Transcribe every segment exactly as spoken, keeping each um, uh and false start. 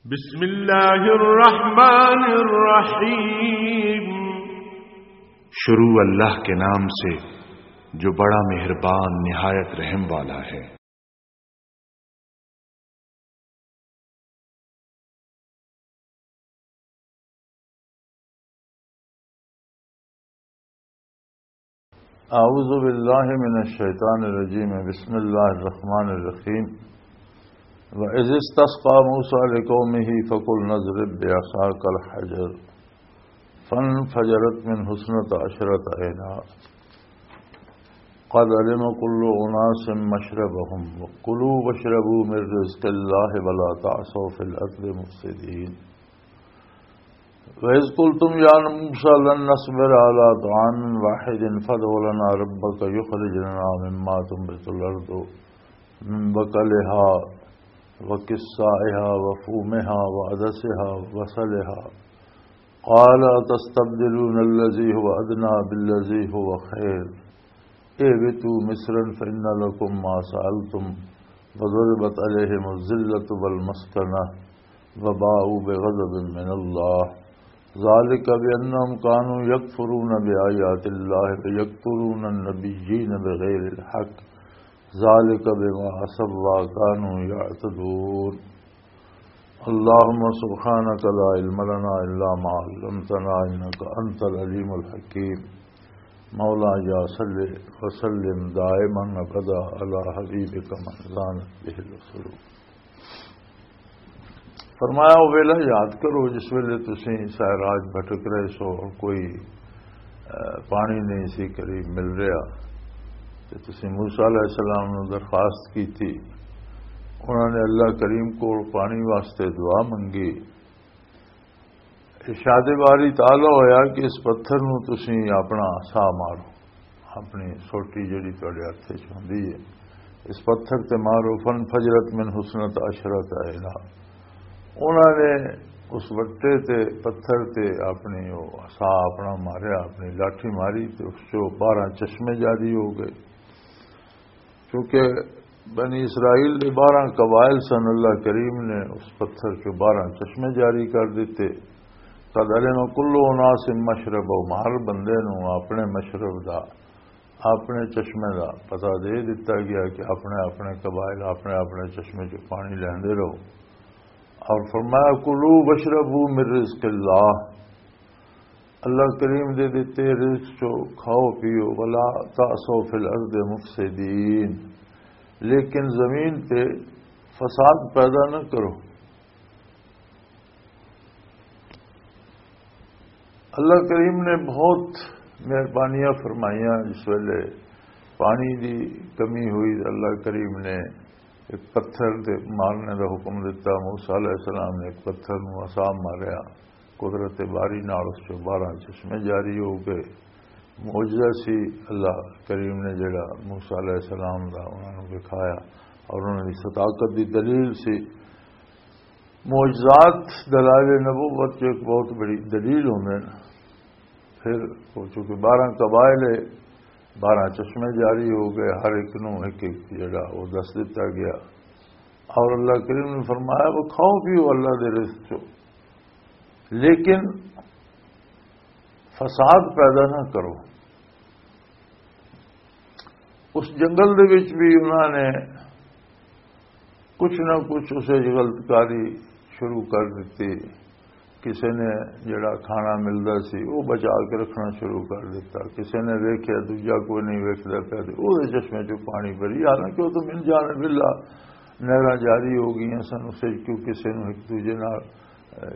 بسم اللہ الرحمن الرحیم۔ شروع اللہ کے نام سے جو بڑا مہربان نہایت رحم والا ہے۔ اعوذ باللہ من الشیطان الرجیم، بسم اللہ الرحمن الرحیم۔ وَإِذِ اسْتَسْقَىٰ مُوسَىٰ لِقَوْمِهِ فَقُلْنَا اضْرِب بِّعَصَاكَ الْحَجَرَ فَانْفَجَرَتْ مِنْهُ اثْنَتَا عَشْرَةَ عَيْنًا قَدْ عَلِمَ كُلُّ أُنَاسٍ مَّشْرَبَهُمْ وَكُلُوا وَاشْرَبُوا مِن رِّزْقِ اللَّهِ وَلَا تَعْثَوْا فِي الْأَرْضِ مُفْسِدِينَ. وَإِذْ قُلْتُمْ يَا مُوسَىٰ لَن نَّصْبِرَ عَلَىٰ طَعَامٍ وَاحِدٍ فَادْعُ لَنَا رَبَّكَ يُخْرِجْ لَنَا مِمَّا تُنبِتُ الْأَرْضُ مِن بَقْلِهَا وَقِثَّائِهَا وَفُومِهَا وَعَدَسِهَا وَبَصَلِهَا قَالَ أَتَسْتَبْدِلُونَ الَّذِي هُوَ أَدْنَىٰ بِالَّذِي هُوَ خَيْرٌ اهْبِطُوا مِصْرًا فَإِنَّ لَكُم مَّا سَأَلْتُمْ وَضُرِبَتْ عَلَيْهِمُ الذِّلَّةُ وَالْمَسْكَنَةُ وَبَاءُوا بِغَضَبٍ مِّنَ اللَّهِ ذَٰلِكَ بِأَنَّهُمْ كَانُوا يَكْفُرُونَ بِآيَاتِ اللَّهِ وَيَقْتُلُونَ النَّبِيِّينَ بِغَيْرِ الْحَقِّ ذَٰلِكَ بِمَا عَصَوا وَّكَانُوا يَعْتَدُونَ. اللهم سبحانك لا علم لنا إلا ما علمتنا إنك أنت العليم الحكيم. مولاي صل وسلم دائما أبدا على حبيبك من زانت به القلوب. فرمایا، وہ ویلا یاد کرو جس ویلے تسی سائے راج بھٹک رہے سو اور کوئی، اہ، پانی نہیں سی قریب مل رہا، تے تسی موسیٰ علیہ السلام نو درخواست کی تھی۔ انہوں نے اللہ کریم کول پانی واسطے دعا منگی۔ ارشاد باری تعالیٰ ہویا کہ اس پتھر نو تسی اپنا عصا مارو، اپنی سوٹی جڑی تہاڈے ہتھ وچ ہوندی ہے، اس پتھر تے مارو۔ فن فجرت من حسنت عشرت عینا۔ انہاں نے اس وٹے تے، پتھر تے اپنی وہ عصا اپنا ماریا، اپنی لاٹھی ماری تے اس چوں بارہ چشمے جاری ہو گئے۔ کیونکہ بنی اسرائیل دے بارہ قبائل سن، اللہ کریم نے اس پتھر چوں بارہ چشمے جاری کر دیتے۔ قد علم کل اناس مشربہم، ہر بندے نو اپنے مشرب دا، اپنے چشمے دا پتہ دے دتا گیا کہ اپنے اپنے قبائل اپنے اپنے چشمے چوں پانی لیندے رہو۔ اور فرمایا، کلوا واشربوا من رزق اللہ، اللہ کریم دے دتے رزق چو کھاؤ پیو، ولا تعثوا فی الارض مفسدین، لیکن زمین تے فساد پیدا نہ کرو۔ اللہ کریم نے بہت مہربانیاں فرمائیاں۔ جس ویلے پانی دی کمی ہوئی، اللہ کریم نے ایک پتھر دے مارنے دا حکم دتا۔ موسیٰ علیہ السلام نے ایک پتھر نو عصا ماریا، قدرت باری نال اس چوں بارہ چشمے جاری ہو گئے۔ معجزہ سی اللہ کریم نے جڑا موسیٰ علیہ السلام دا انہاں نوں دکھایا اور انہاں دی صداقت دی دلیل سی۔ معجزات دلائل نبوت جو ایک بہت بڑی دلیل ہوندے نے۔ پھر وہ چونکہ بارہ قبائل ہے، بارہ چشمے جاری ہو گئے، ہر ایک نوں ایک ایک جڑا وہ دس دتا گیا۔ اور اللہ کریم نے فرمایا، وہ کھاؤ پیو اللہ دے رزق چو، لیکن فساد پیدا نہ کرو۔ اس جنگل دے وچ بھی انہاں نے کچھ نہ کچھ اسے غلط کاری شروع کر دتی۔ کسے نے جڑا کھانا ملدا سی، وہ بچا کے رکھنا شروع کر دتا۔ کسے نے ویکھیا، دوجا کوئی نہیں ویکھدا پیا، تے اوہدے چشمے چوں پانی بھری، حالانکہ وہ تو من جانب اللہ نہراں جاری ہو گئیاں سن۔ اسے کیوں کسے نوں ایک دوجے نال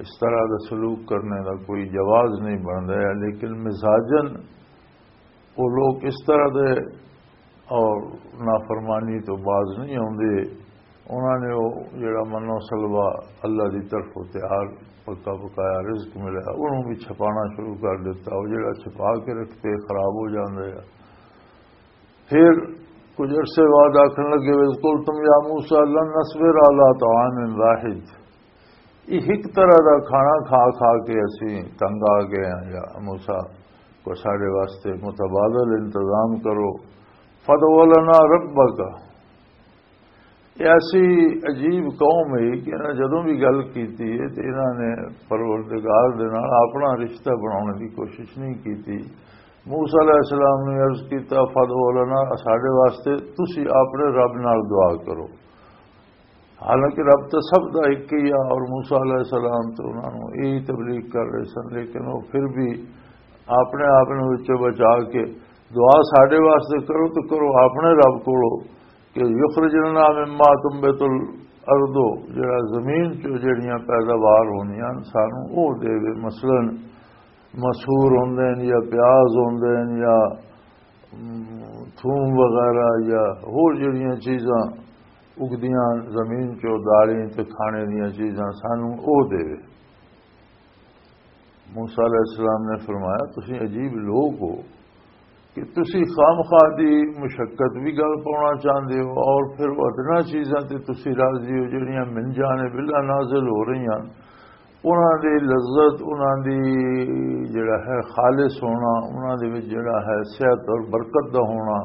اس طرح دا سلوک کرنے دا کوئی جواز نہیں بندا ہے، لیکن مزاجن وہ لوگ اس طرح دے اور نافرمانی تو باز نہیں آوندے۔ انہاں نے وہ جڑا منو سلوا اللہ دی طرف تیار پکا پکایا رزق ملیا، انہوں بھی چھپانا شروع کر دیتا۔ وہ جڑا چھپا کے رکھتے خراب ہو جاندے آ۔ پھر کچھ عرصے بعد آکھن لگے، وَإِذْ قُلْتُمْ يَا مُوسَىٰ لَن نَّصْبِرَ عَلَىٰ طَعَامٍ وَاحِدٍ، یہ ایک طرح دا کھانا کھا کھا کے اسی تنگ آ گئے ہیں، یا موسیٰ کو سارے واسطے متبادل انتظام کرو۔ فَادْعُ لَنَا رَبَّكَ، یہ ایسی عجیب قوم ہے کہ انہاں جدوں بھی گل کیتی ہے تے انہاں نے پروردگار دے نال اپنا رشتہ بنانے دی کوشش نہیں کیتی۔ موسیٰ علیہ السلام نے عرض کیتا، "فادعو لنا"، ساڈے واسطے تسی اپنے رب نال دعا کرو۔ حالانکہ رب تو سب دا ایک ہی آ، اور موسیٰ علیہ السلام تو انہاں نوں یہی تبلیغ کر رہے سن، لیکن وہ پھر بھی اپنے آپ نوں وچوں بچا کے دعا ساڈے واسطے کرو تو کرو اپنے رب کولو کہ یخرج لنا مما تنبت الارض، جڑا زمین چوں جڑیاں پیداوار ہوندیاں سانوں او دے دے۔ مثلاً مسور ہوندے نے یا پیاز ہوندے نے یا، ام، تھوم وغیرہ یا ہور جڑیاں چیزاں اگدیاں زمین چوں، دالیں تے کھانے دیاں چیزاں سانوں او دے۔ موسیٰ علیہ السلام نے فرمایا، "تسی عجیب لوگ ہو کہ تسی خامخواہ دی مشقت بھی گل پاؤنا چاہندے ہو اور پھر وہ ادنا چیزاں تے تسی راضی ہو جڑیاں من جانب اللہ نازل ہو رہی ہیں، انہاں دی لذت، انہاں دی جڑا ہے خالص ہونا، انہاں دے وچ جڑا ہے صحت اور برکت دا ہونا،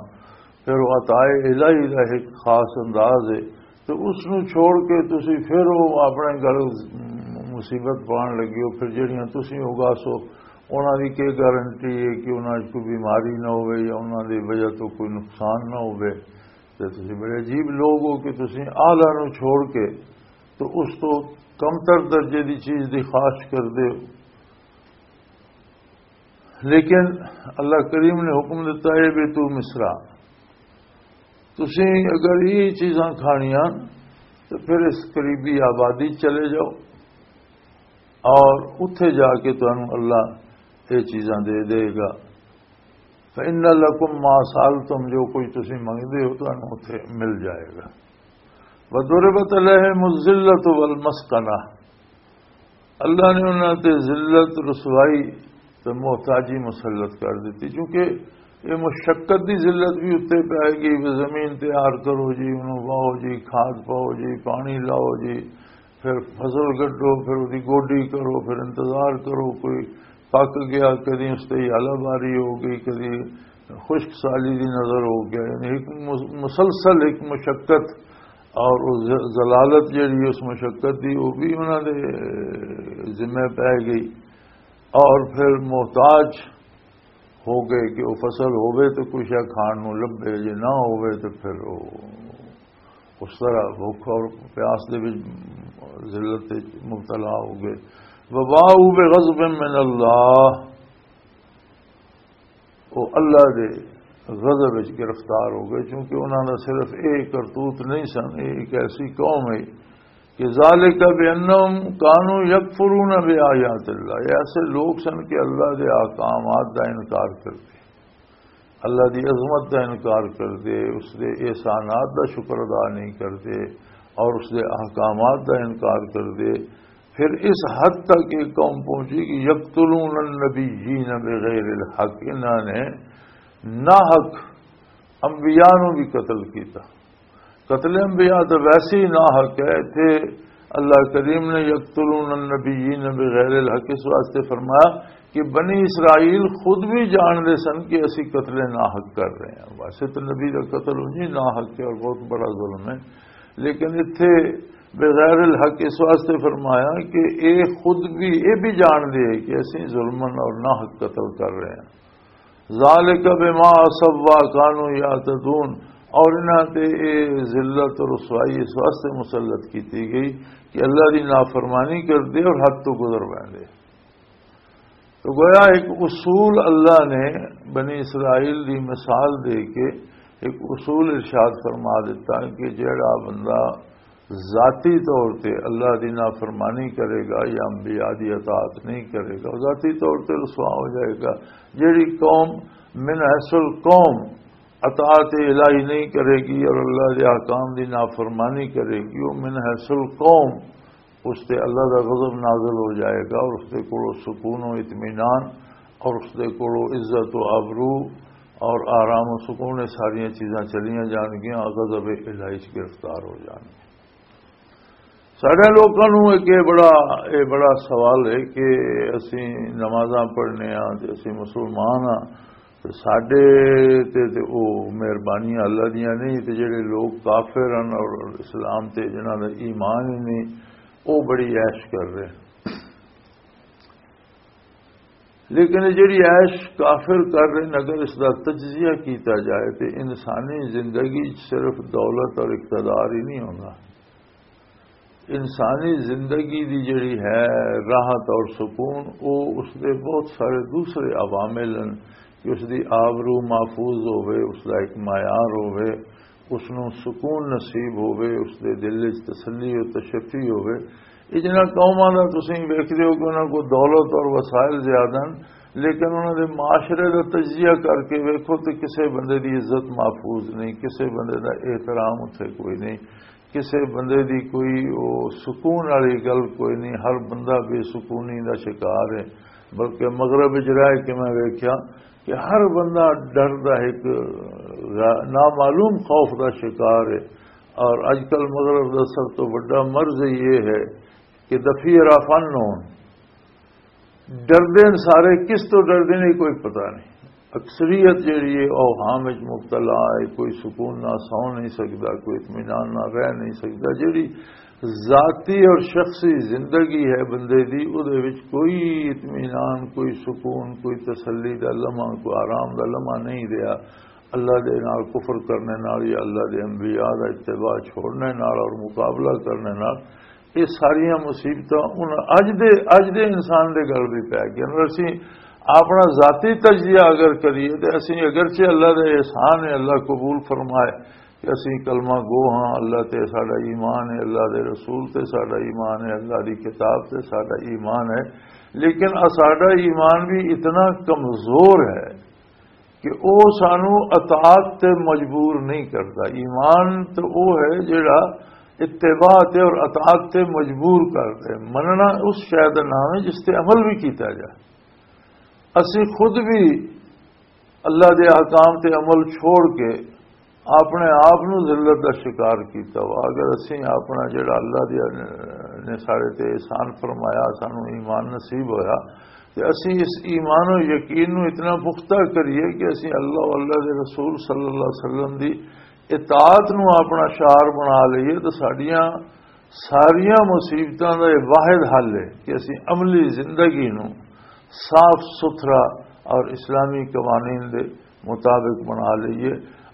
پھر وہ عطائے الہی دا ایک خاص انداز ہے، تو اس نوں چھوڑ کے تسی پھر وہ اپنے گل مصیبت پان لگے ہو، پھر جڑیاں تسی اگاسو، انہاں دی کی گارنٹی ہے کہ انہاں وچ کوئی بیماری نہ ہوئے یا انہاں دی وجہ تو کوئی نقصان نہ ہوئے؟ تے تسی بڑے عجیب لوگ ہو کہ تسی اعلیٰ نوں چھوڑ کے تو اس تو کمتر درجے دی چیز دی خواہش کردے ہو۔" لیکن اللہ کریم نے حکم دیتا ہے بھی تو مصرا، تسی اگر یہ چیزاں کھانیاں تو پھر اس قریبی آبادی چلے جاؤ اور اتھے جا کے تانوں اللہ یہ چیزاں دے دے گا۔ فَإِنَّ لَكُمْ مَا سَأَلْتُمْ، جو کچھ تسی منگدے ہو تانوں اتھے مل جائے گا۔ وَضُرِبَتْ عَلَيْهِمُ الذِّلَّةُ وَالْمَسْكَنَةُ، اللہ نے انہاں تے ذلت، رسوائی تے محتاجی مسلط کر دتی، کیونکہ یہ مشقت دی ذلت بھی اتنے پی گئی۔ وہ زمین تیار کرو جی، انہوں واہو جی، کھاد پاؤ جی، پانی لاؤ جی، پھر فصل کڈو، پھر وہدی گوڈی کرو، پھر انتظار کرو، کوئی پک گیا، کدی اس تے ہیالہ باری ہو گئی، کدی خشک سالی دی نظر ہو گیا۔ یعنی ایک مس-، مسلسل ایک مشقت، اور وہ ز-، ذلالت جڑی اس مشقت دی، وہ بھی انہاں دے ذمے پی گئی۔ اور پھر محتاج ہو گئے کہ وہ فصل ہووے تو کچھ ہے کھان نوں لبھے، جے نہ ہووے تو پھر وہ اس طرح بھوک اور پیاس دے وچ ذلت وچ مبتلا ہو گئے۔ وباءوا بغضب من اللہ، وہ اللہ دے غضب وچ گرفتار ہو گئے، کیونکہ انہاں دا صرف ایک کرتوت نہیں سن، یہ ایک ایسی قوم ہے کہ ذالک بانہم کانوا یکفرون بآیات اللہ، یہ ایسے لوگ سن کہ اللہ دے احکامات دا انکار کردے، اللہ دی عظمت دا انکار کردے، اس دے احسانات دا شکر ادا نہیں کردے اور اس دے احکامات دا انکار کردے۔ پھر اس حد تک یہ قوم پہنچی کہ یقتلون النبیین بغیر الحق، انہاں نے ناحق انبیاء نوں بھی قتل کیتا۔ قتل انبیاء تو ویسے ہی ناحق ہے۔ اتھے اللہ کریم نے یقتلون النبیین بغیر الحق اس واسطے فرمایا کہ بنی اسرائیل خود بھی جانتے سن کہ اسی قتل ناحق کر رہے ہیں۔ ویسے تو نبی کا قتل انجی ناحق ہے اور بہت بڑا ظلم ہے، لیکن اتھے بغیر الحق اس واسطے فرمایا کہ اے خود بھی، اے بھی جانتے ہیں کہ اسی ظلمن اور ناحق قتل کر رہے ہیں۔ ذالک بما عصوا کانوا یعتدون، اور انہاں تے اے ذلت اور رسوائی اس واسطے مسلط کیتی گئی کہ اللہ دی نافرمانی کردے اور حد تو گزر ویندے۔ تو گویا ایک اصول اللہ نے بنی اسرائیل دی مثال دے کے ایک اصول ارشاد فرما دیتا کہ جیڑا بندہ ذاتی طور تے اللہ دی نافرمانی کرے گا یا انبیاء دی اطاعت نہیں کرے گا، وہ ذاتی طور تے رسوا ہو جائے گا۔ جیڑی قوم من حیث القوم اطاعت الہی نہیں کرے گی اور اللہ دے احکام دی نافرمانی کرے گی، وہ من حیث القوم اس تے اللہ دا غضب نازل ہو جائے گا اور اس دے کولوں سکون و اطمینان اور اس دے کولوں عزت و آبرو اور آرام و سکون، یہ ساریاں چیزاں چلیاں جان گیاں، غضب الہی چ گرفتار ہو جان گیاں۔ سارے لوگوں نوں ایک یہ بڑا، یہ بڑا سوال ہے کہ اسی نمازاں پڑھنے ہاں تے اسی مسلمان ہاں، تے ساڈے تے تے او مہربانیاں اللہ دیاں نہیں، تے جڑے لوگ کافر ہن اور اسلام تے جنہاں دا ایمان ہی نہیں، او بڑی عیش کر رہے ہیں۔ لیکن یہ جڑی عیش کافر کر رہے ہیں، اگر اس دا تجزیہ کیتا جائے تے انسانی زندگی صرف دولت اور اقتدار ہی نہیں ہونا۔ انسانی زندگی دی جڑی ہے راحت اور سکون، او اس دے بہت سارے دوسرے عوامل ہیں کہ اس دی آبرو محفوظ ہوئے، اس دا ایک معیار ہوئے، اس نوں سکون نصیب ہوئے، اس دے دل وچ تسلی و تشفی ہوئے۔ یہ جنہاں قوماں دا تسیں ویکھدے ہو کہ انہاں کو دولت اور وسائل زیادہ ہیں، لیکن انہاں دے معاشرے دا تجزیہ کر کے ویکھو تے کسے بندے دی عزت محفوظ نہیں، کسے بندے دا احترام اتھے کوئی نہیں، کسے بندے دی کوئی او سکون والی گل کوئی نہیں، ہر بندہ بے سکونی دا شکار ہے۔ بلکہ مغرب وچ رہ کے میں ویکھیا کہ ہر بندہ ڈر دا ایک غا-، نامعلوم خوف دا شکار ہے۔ اور اج کل مغرب دا سب تو بڑا مرض یہ ہے کہ دفی رافن ہون، ڈردے نے سارے، کس تو ڈردے نے کوئی پتہ نہیں۔ اکثریت جڑی ہے اوہام وچ مبتلا ہے، کوئی سکون نہ سو نہیں سکدا، کوئی اطمینان نہ رہ نہیں سکدا۔ جڑی ذاتی اور شخصی زندگی ہے بندے دی، او دے وچ کوئی اطمینان، کوئی سکون، کوئی تسلی دا لمحہ، کوئی آرام دا لمحہ نہیں رہیا۔ اللہ دے نال کفر کرنے نال یا اللہ دے انبیاء دا اتباع چھوڑنے نال اور مقابلہ کرنے نال یہ ساریاں مصیبتاں ان اج دے، اج دے انسان دے گل بھی پی گئے۔ اور اسی اپنا ذاتی تجزیہ اگر کریے تو اسی اگرچہ اللہ دے احسان ہے، اللہ قبول فرمائے کہ اسی کلمہ گو ہاں، اللہ تے ساڈا ایمان ہے، اللہ دے رسول تے ساڈا ایمان ہے، اللہ دی کتاب تے ساڈا ایمان ہے، لیکن ساڈا ایمان بھی اتنا کمزور ہے کہ او سانو اطاعت تے مجبور نہیں کردا۔ ایمان تے او ہے جڑا اتباع تے اور اطاعت تے مجبور کر دے۔ مننا اس شے دا نام ہے جس تے عمل بھی کیتا جائے۔ اسی خود بھی اللہ دے احکام تے عمل چھوڑ کے اپنے آپ نو ذلت دا شکار کیتا وا۔ اگر اسی اپنا جڑا اللہ دے نے سارے تے احسان فرمایا، سانو ایمان نصیب ہویا، تے اسی اس ایمان و یقین نو اتنا پختہ کریے کہ اسی اللہ و اللہ دے رسول صلی اللہ علیہ وسلم دی اطاعت نو اپنا شعار بنا لئیے، تے ساڈیاں ساریاں مصیبتاں دا یہ واحد حل ہے کہ اسی عملی زندگی نو صاف ستھرا اور اسلامی قوانین دے مطابق بنا لئیے۔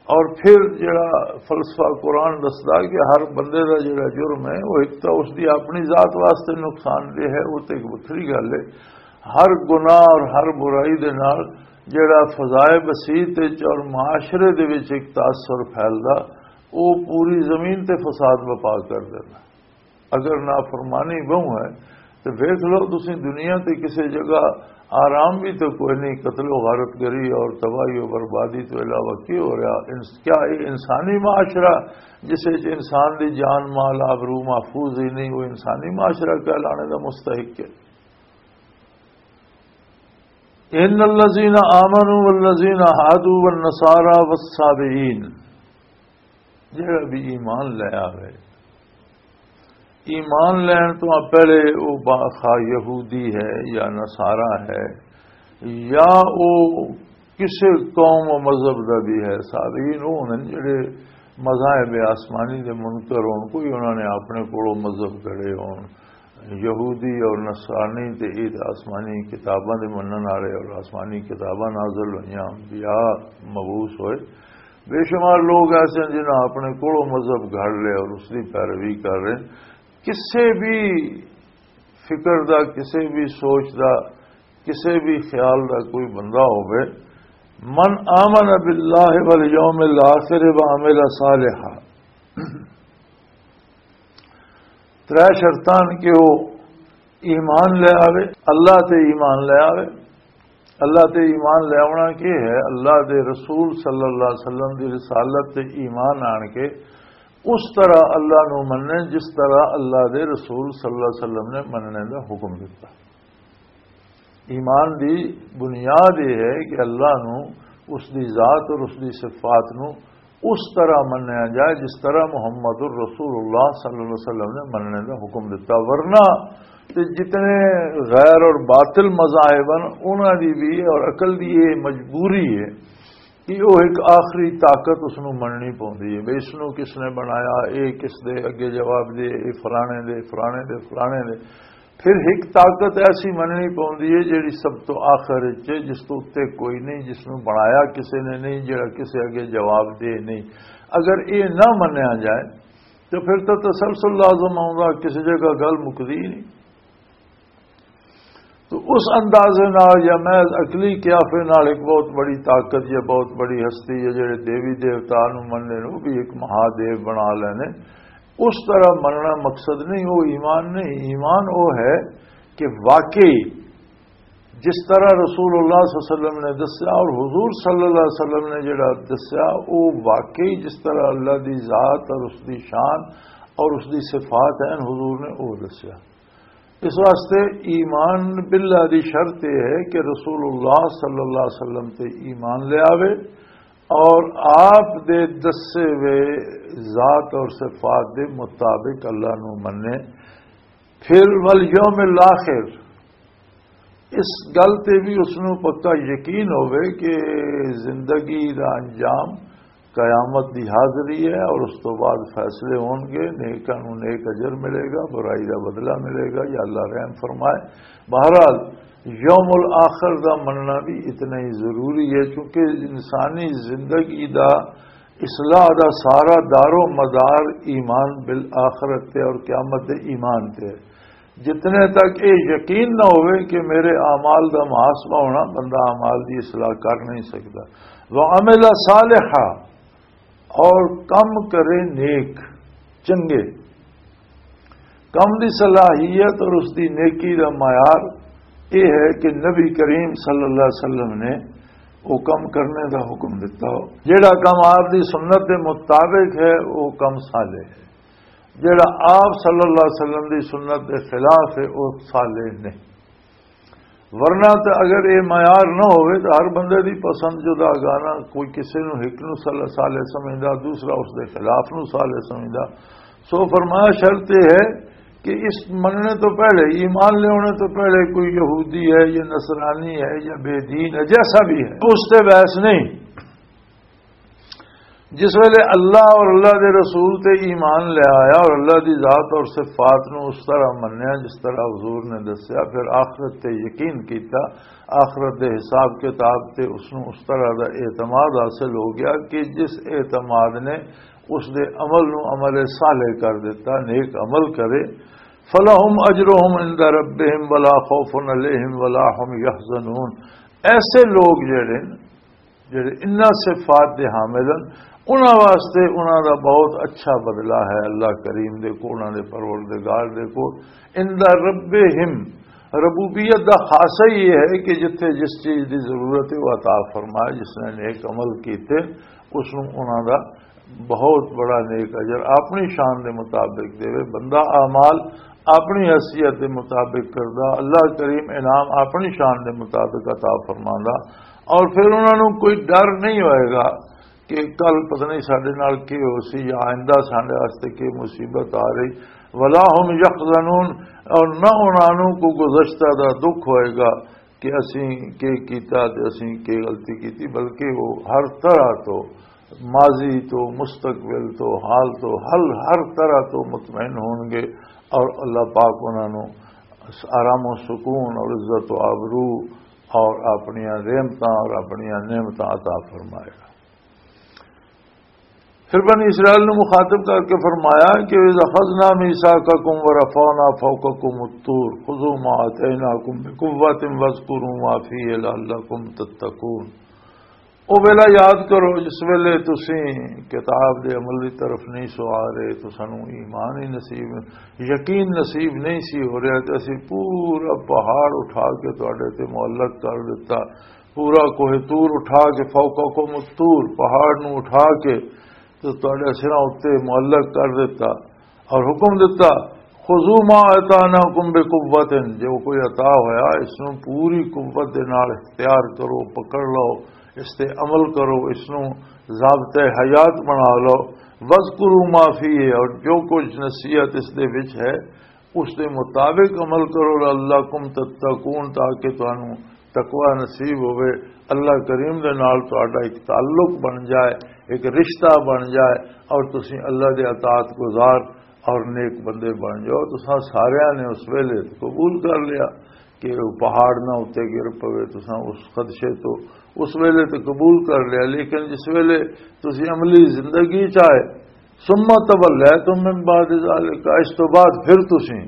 اور پھر جڑا فلسفہ قرآن دسدا کہ ہر بندے دا جڑا جرم ہے، وہ ایک تو اس دی اپنی ذات واسطے نقصان دہ ہے، وہ تے ایک وکھری گل ہے۔ ہر گناہ اور ہر برائی دے نال جڑا فضائے بسیط وچ اور معاشرے دے وچ ایک تاثر پھیلدا، وہ پوری زمین تے فساد بپا کر دینا۔ اگر نافرمانی بہوں ہے تو ویکھ لو، تسی دنیا تے کسے جگہ آرام بھی تو کوئی نہیں، قتل و غارت گری اور تباہی و بربادی تو علاوہ کی ہو رہا؟ انس-، کیا یہ انسانی معاشرہ جس وچ انسان دی جان مال آبرو محفوظ ہی نہیں، وہ انسانی معاشرہ کہلانے دا مستحق ہے؟ ان الذین آمنوا والذین هادوا والنصارى والصابئین، جڑا بھی ایمان لے آوے، ایمان لین تو پہلے وہ با-، خواہ یہودی ہے یا نصارا ہے یا وہ کسی قوم و مذہب دا بھی ہے، صابئین وہ ہوندے نے جڑے مذاہب آسمانی دے منکر ہون، کوئی انہاں نے اپنے کولوں مذہب کھڑے ہون، یہودی اور نصرانی تے عید آسمانی کتاباں دے منن والے اور آسمانی کتاباں نازل ہوئیاں، انبیاء مبعوث ہوئے۔ بے شمار لوگ ایسے ہیں جنہاں اپنے کولوں مذہب گھڑ لے اور اس دی پیروی کر رہے ہیں۔ کسے بھی فکر دا، کسے بھی سوچ دا، کسے بھی خیال دا کوئی بندہ ہوئے، من آمن باللہ والیوم الآخر وعمل صالحا، ترے شرطاں کہ وہ ایمان لے آوے، اللہ تے ایمان لے آوے۔ اللہ تے ایمان لے آونا کی ہے؟ اللہ دے رسول صلی اللہ علیہ وسلم دی رسالت تے ایمان آن کے اس طرح اللہ نو مننے جس طرح اللہ دے رسول صلی اللہ علیہ وسلم نے مننے دا حکم دیتا۔ ایمان دی بنیاد یہ ہے کہ اللہ نو، اس دی ذات اور اس دی صفات نو اس طرح منیا جائے جس طرح محمد الرسول اللہ صلی اللہ علیہ وسلم نے مننے دا حکم دیتا، ورنہ تے جتنے غیر اور باطل مذاہب ہیں، انہاں دی بھی اور عقل دی یہ مجبوری ہے کہ وہ ایک آخری طاقت اس نوں مننی پوندی ہے۔ بھئی، اس نوں کس نے بنایا، اے کس دے اگے جواب دے، اے فلانے دے، فلانے دے، فلانے دے۔ پھر ایک طاقت ایسی مننی پوندی ہے جڑی سب تو آخر وچ ہے، جس تو اُتے کوئی نہیں، جس نوں بنایا کسے نے نہیں، جڑا کسے اگے جواب دے نہیں۔ اگر یہ نہ منیا جائے تو پھر تو تسلسل لازم آؤں گا، کسی جگہ گل مکدی ہی نہیں۔ تو اس اندازے نال یا محض عقلی قیافے نال ایک بہت بڑی طاقت یا بہت بڑی ہستی یا جڑے دیوی دیوتا نو مننے نے، وہ بھی ایک مہادیو بنا لینے، اس طرح مننا مقصد نہیں، وہ ایمان نہیں۔ ایمان وہ ہے کہ واقعی جس طرح رسول اللہ صلی اللہ علیہ وسلم نے دسیا اور حضور صلی اللہ علیہ وسلم نے جڑا دسیا، وہ واقعی جس طرح اللہ دی ذات اور اس دی شان اور اس دی صفات ہیں، حضور نے وہ دسیا۔ اس واسطے ایمان باللہ دی شرط یہ ہے کہ رسول اللہ صلی اللہ علیہ وسلم تے ایمان لے آوے اور آپ دے دسے ہوئے ذات اور صفات دے مطابق اللہ نو منے۔ پھر والیوم الاخر، اس گل تے بھی اس نو پکا یقین ہووے کہ زندگی دا انجام قیامت دی حاضری ہے اور اس تو بعد فیصلے ہون گے، نیکاں نو نیک اجر ملے گا، برائی دا بدلہ ملے گا، یا اللہ رحم فرمائے۔ بہرحال، یوم الآخر دا مننا بھی اتنا ہی ضروری ہے، کیونکہ انسانی زندگی دا اصلاح دا سارا دار و مدار ایمان بالآخرت تے اور قیامت دے ایمان تے ہے۔ جتنے تک یہ یقین نہ ہوئے کہ میرے اعمال دا محاسبہ ہونا، بندہ اعمال دی اصلاح کر نہیں سکتا۔ وَعَمِلَ صَالِحًا، اور کم کرے نیک، چنگے۔ کم دی صلاحیت اور اس دی نیکی دا معیار یہ ہے کہ نبی کریم صلی اللہ علیہ وسلم نے وہ کم کرنے دا حکم دیتا ہو۔ جڑا کم آپ دی سنت دے مطابق ہے، وہ کم صالح ہے۔ جڑا آپ صلی اللہ علیہ وسلم دی سنت دے خلاف ہے، وہ صالح نہیں۔ ورنہ تے اگر یہ معیار نہ ہوئے تو ہر بندے دی پسند جدا گانا، کوئی کسی نو ایک نو صالح، صالح سمجھدا، دوسرا اس دے خلاف نو صالح سمجھدا۔ سو فرمایا، شرط یہ ہے کہ اس مننے تو پہلے، ایمان لینے تو پہلے کوئی یہودی ہے یا نصرانی ہے یا بے دین ہے، جیسا بھی ہے، اس تے بحث نہیں۔ جس ویلے اللہ اور اللہ دے رسول تے ایمان لے آیا اور اللہ دی ذات اور صفات نو اس طرح منیا جس طرح حضور نے دسیا، پھر آخرت تے یقین کیتا، آخرت دے حساب کتاب تے اس نو اس طرح دا اعتماد حاصل ہو گیا کہ جس اعتماد نے اس دے عمل نو عمل صالح کر دیتا، نیک عمل کرے۔ فَلَهُمْ أَجْرُهُمْ عِنْدَ رَبِّهِمْ وَلَا خَوْفٌ عَلَيْهِمْ وَلَا هُمْ يَحْزَنُونَ۔ ایسے لوگ جڑے نے، جڑے انہاں صفات دے حامل ہیں، انہاں واسطے انہاں دا بہت اچھا بدلہ ہے اللہ کریم دے کو، انہاں دے پروردگار دے کو۔ عند ربہم، ربوبیت دا خاصہ ہی یہ ہے کہ جتھے جس چیز دی ضرورت ہے، وہ عطا فرمائے۔ جس نے نیک عمل کیتے، اس نوں انہاں دا بہت بڑا نیک اجر اپنی شان دے مطابق دے۔ بندہ اعمال اپنی حیثیت دے مطابق کردا، اللہ کریم انعام اپنی شان دے مطابق عطا فرماندا، اور پھر انہاں نوں کوئی ڈر نہیں ہوئے گا کہ کل پتہ نہیں ساڈے نال کی ہو سی یا آئندہ ساڈے واسطے کی مصیبت آ رہی۔ ولا هم يحزنون، اور نہ انہاں نوں کوئی گزشتہ دا دکھ ہوئے گا کہ اسیں کی کیتا تے اسیں کی غلطی کیتی، بلکہ وہ ہر طرح تو، ماضی تو، مستقبل تو، حال تو، ہر ہر طرح تو مطمئن ہون گے، اور اللہ پاک انہاں نوں آرام و سکون اور عزت و آبرو اور اپنی رحمتاں اور اپنی نعمتاں عطا فرمائے گا۔ پھر بنی اسرائیل نوں مخاطب کر کے فرمایا کہ "اذ اخذنا میثاقکم ورفعنا فوقکم الطور خذوا ما آتیناکم بقوۃ واذکروا ما فیہ لعلکم تتقون۔" او ویلا یاد کرو جس ویلے تسی کتاب دے عمل دی طرف نہیں سو آ رہے، تو سانو ایمان ہی نصیب، یقین نصیب نہیں سی ہو رہا، تے اسی پورا پہاڑ اٹھا کے تواڈے تے معلق کر دیتا، پورا کوہ طور اٹھا کے، فوقکم الطور، پہاڑ نو اٹھا کے تے تواڈے سراں اتے معلق کر دیتا اور حکم دیتا، "خذوا ما آتیناکم بقوۃ"، جو کوئی عطا ہویا اس نو پوری قوت دے نال اختیار کرو، پکڑ لو، اس تے عمل کرو، اس نو ضابطۂ حیات بنا لو۔ "واذکروا ما فیہ"، اور جو کچھ نصیحت اس دے وچ ہے اس دے مطابق عمل کرو، لعلکم تتقون، تاکہ تانوں تقوی نصیب ہوئے، اللہ کریم دے نال تہاڈا ایک تعلق بن جائے، ایک رشتہ بن جائے، اور تسی اللہ دے اطاعت گزار اور نیک بندے بن جاؤ۔ تساں ساریاں نے اس ویلے قبول کر لیا کہ وہ پہاڑ نہ اتنے گر پوے، تساں اس خدشے تو اس ویلے تو قبول کر لیا، لیکن جس ویلے تسی عملی زندگی چ آئے، ثم تولیتم من بعد ذلک، اس تو بعد پھر تسی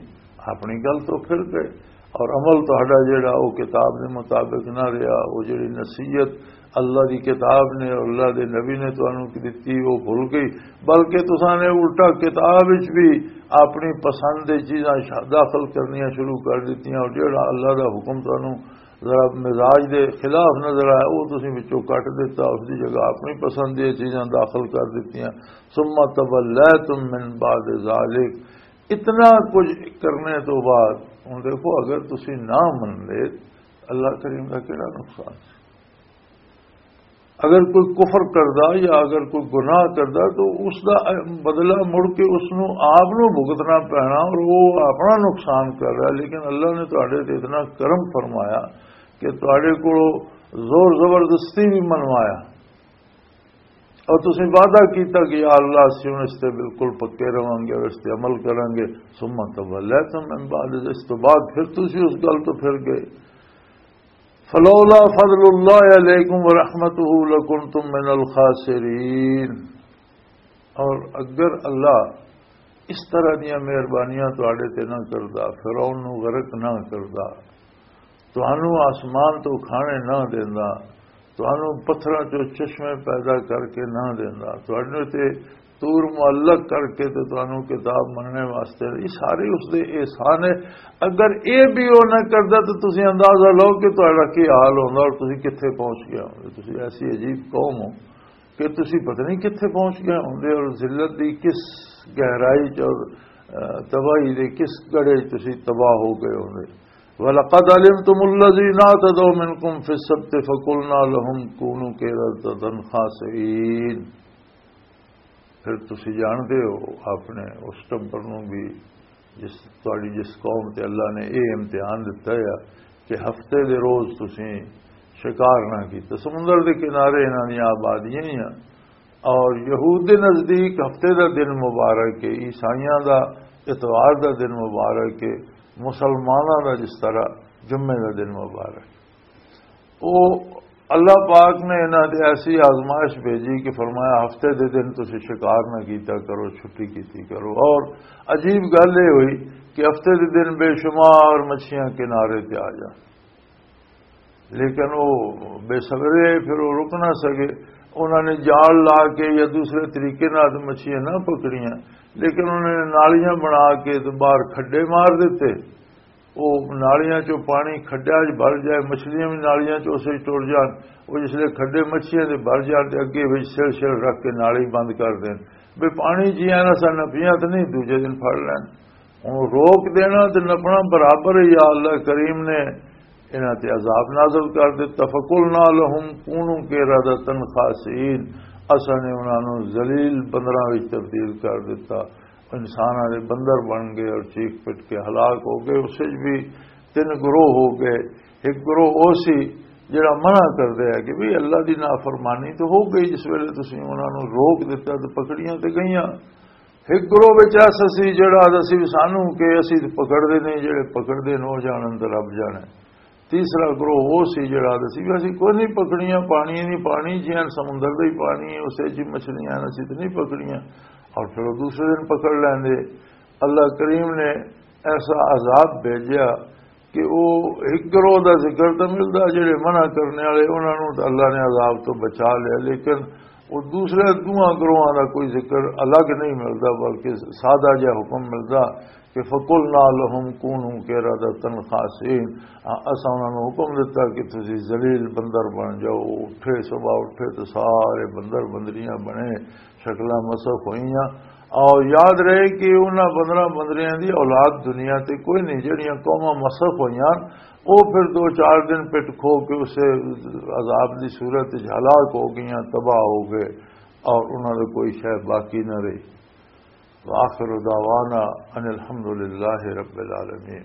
اپنی گل تو پھر گئے، اور عمل تہاڈا جڑا وہ کتاب دے مطابق نہ رہیا، وہ جڑی نصیحت اللہ دی کتاب نے اور اللہ دے نبی نے تانوں دتی، وہ بھول گئی، بلکہ تساں نے الٹا کتاب وچ بھی اپنی پسند دی چیزاں شا-، داخل کرنیاں شروع کر دتیاں، اور جڑا اللہ دا حکم تانوں ذرا مزاج دے خلاف نظر آیا، وہ تسی وچوں کٹ دتا، اس دی جگہ اپنی پسند دی چیزاں داخل کر دتیاں۔ ثم تولیتم من بعد ذلک، اتنا کچھ کرنے تو بعد، ہن دیکھو، اگر تسی نہ من لے، اللہ کریم دا کیڑا نقصان سی؟ اگر کوئی کفر کردا یا اگر کوئی گناہ کردا، تو اس دا بدلہ مڑ کے اس نو آپ نو بھگتنا پینا، اور وہ اپنا نقصان کر رہا۔ لیکن اللہ نے تہاڈے تے اتنا کرم فرمایا کہ تہاڈے کولوں زور زبردستی بھی منوایا، اور تسی وعدہ کیتا کہ یا اللہ، اسی ہن اس تے بالکل پکے رہواں گے اور اس تے عمل کراں گے۔ ثم تولیتم من بعد، اس تو بعد پھر تسی اس گل تو پھر گئے۔ فلولا فضل اللہ علیکم ورحمتہ لکنتم من الخاسرین۔ اور اگر اللہ اس طرح دیاں مہربانیاں تواڈے تے نہ کردا، فرعون نو غرق نہ کردا، تانوں آسمان تو کھانے نہ دیندا، تانوں پتھراں چوں چشمے پیدا کر کے نہ دیندا، تواڈے تے طور معلق کر کے تے تانوں کتاب مننے واسطے، یہ سارے اس دے احسان ہے۔ اگر یہ بھی وہ نہ کردا تو تسی اندازہ لو کہ تہاڈا کی حال ہوندا اور تسی کتھے پہنچ گئے ہوندے۔ تسی ایسی عجیب قوم ہو کہ تسی پتہ نہیں کتھے پہنچ گئے ہوندے اور ذلت دی کس گہرائی چ اور، آ، تباہی دے کس گڑھے چ تسی تباہ ہو گئے ہوندے۔ وَلَقَدْ عَلِمْتُمُ الَّذِينَ اعْتَدَوْا مِنْكُمْ فِي السَّبْتِ فَقُلْنَا لَهُمْ كُونُوا قِرَدَةً خَاسِئِينَ۔ پھر تسی جانتے ہو اپنے اس ٹبر نوں بھی، جس، تہاڈی جس قوم تے اللہ نے یہ امتحان دتا ہے کہ ہفتے دے روز تسی شکار نہ کیتا۔ سمندر دے کنارے انہاں دیاں آبادیاں ہی ہیں، اور یہود دے نزدیک ہفتے دا دن مبارک ہے، عیسائیاں دا اتوار دا دن مبارک ہے، مسلماناں دا جس طرح جمعے دا دن مبارک۔ وہ اللہ پاک نے انہاں تے ایسی آزمائش بھیجی کہ فرمایا، ہفتے دے دن تسی شکار نہ کیتا کرو، چھٹی کیتی کرو۔ اور عجیب گل یہ ہوئی کہ ہفتے دے دن بے شمار مچھیاں کنارے تے آ جان، لیکن وہ بے صبرے، پھر وہ رک نہ سکے۔ انہاں نے جال لا کے یا دوسرے طریقے نال مچھیاں نہ پکڑیاں، لیکن انہاں نے نالیاں بنا کے تے باہر کھڈے مار دیتے۔ وہ نالیاں چوں پانی کھڈیاں چ بھر جائے، مچھلیاں بھی نالیاں چ اسے ٹر جان۔ وہ جس لے کھڈے مچھیاں دے بھر جان تے اگے وچ سل سل رکھ کے نالی بند کر دین، بھی پانی جی آنا سا نہ پیاں تے نہیں، دوجے دن پھڑ لین۔ ہن روک دینا تے نپنا برابر ہے۔ یا اللہ کریم نے انہاں تے عذاب نازل کر دتا۔ فَقُلْنَا لَهُمْ كُونُوا قِرَدَةً خَاسِئِينَ، اساں نے انہاں نوں ذلیل بندراں وچ تبدیل کر دتا۔ انساناں دے بندر بن گئے اور چیخ پٹ کے ہلاک ہو گئے۔ اس وچ بھی تین گروہ ہو گئے۔ ایک گروہ او سی جڑا منع کر دیا کہ بھی اللہ دی نافرمانی تو ہو گئی، جس ویلے تسی انہاں نوں روک دتا تو پکڑیاں تے گئیاں۔ ایک گروہ وچ ایسا سی جڑا آہدا سی بھی سانوں کہ اسی تے پکڑ دے نہیں، جڑے پکڑ دے نو جانن تے رب جانے۔ تیسرا گروہ وہ سی جڑا آہدا سی بھی اسی کوئی نہیں پکڑیاں، پانی نہیں، پانی جیان سمندر دا ہی پانی ہے، اسے جی مچھلیاں ہیں، اسی تے نہیں پکڑیاں۔ اور پھر وہ دوسرے دن پکڑ لیندے۔ اللہ کریم نے ایسا عذاب بھیجیا کہ وہ ایک گروہ دا ذکر تو ملدا، جڑے منع کرنے والے، انہاں نوں تے اللہ نے عذاب تو بچا لیا، لیکن وہ دوسرے دوواں گروہاں دا کوئی ذکر الگ نہیں ملدا، بلکہ سادہ جہا حکم ملدا کہ فَقُلْنَا لَهُمْ كُونُوا قِرَدَةً خَاسِئِينَ۔ آ، اساں انہاں نوں حکم دتا کہ تسی ذلیل بندر بن جاؤ۔ اٹھے، صبح اٹھے تو سارے بندر بندریاں بنے، شکلاں مسخ ہوئیاں۔ اور یاد رہے کہ انہاں بندراں بندریاں دی اولاد دنیا تے کوئی نہیں، جڑیاں قوماں مسخ ہوئیاں، وہ پھر دو چار دن پٹ کھو کے اسے عذاب دی صورت وچ ہلاک ہو گئیاں، تباہ ہو گئے، اور انہاں دے کوئی شے باقی نہ رہی۔ وآخر دعوانا ان الحمد للہ رب العالمین۔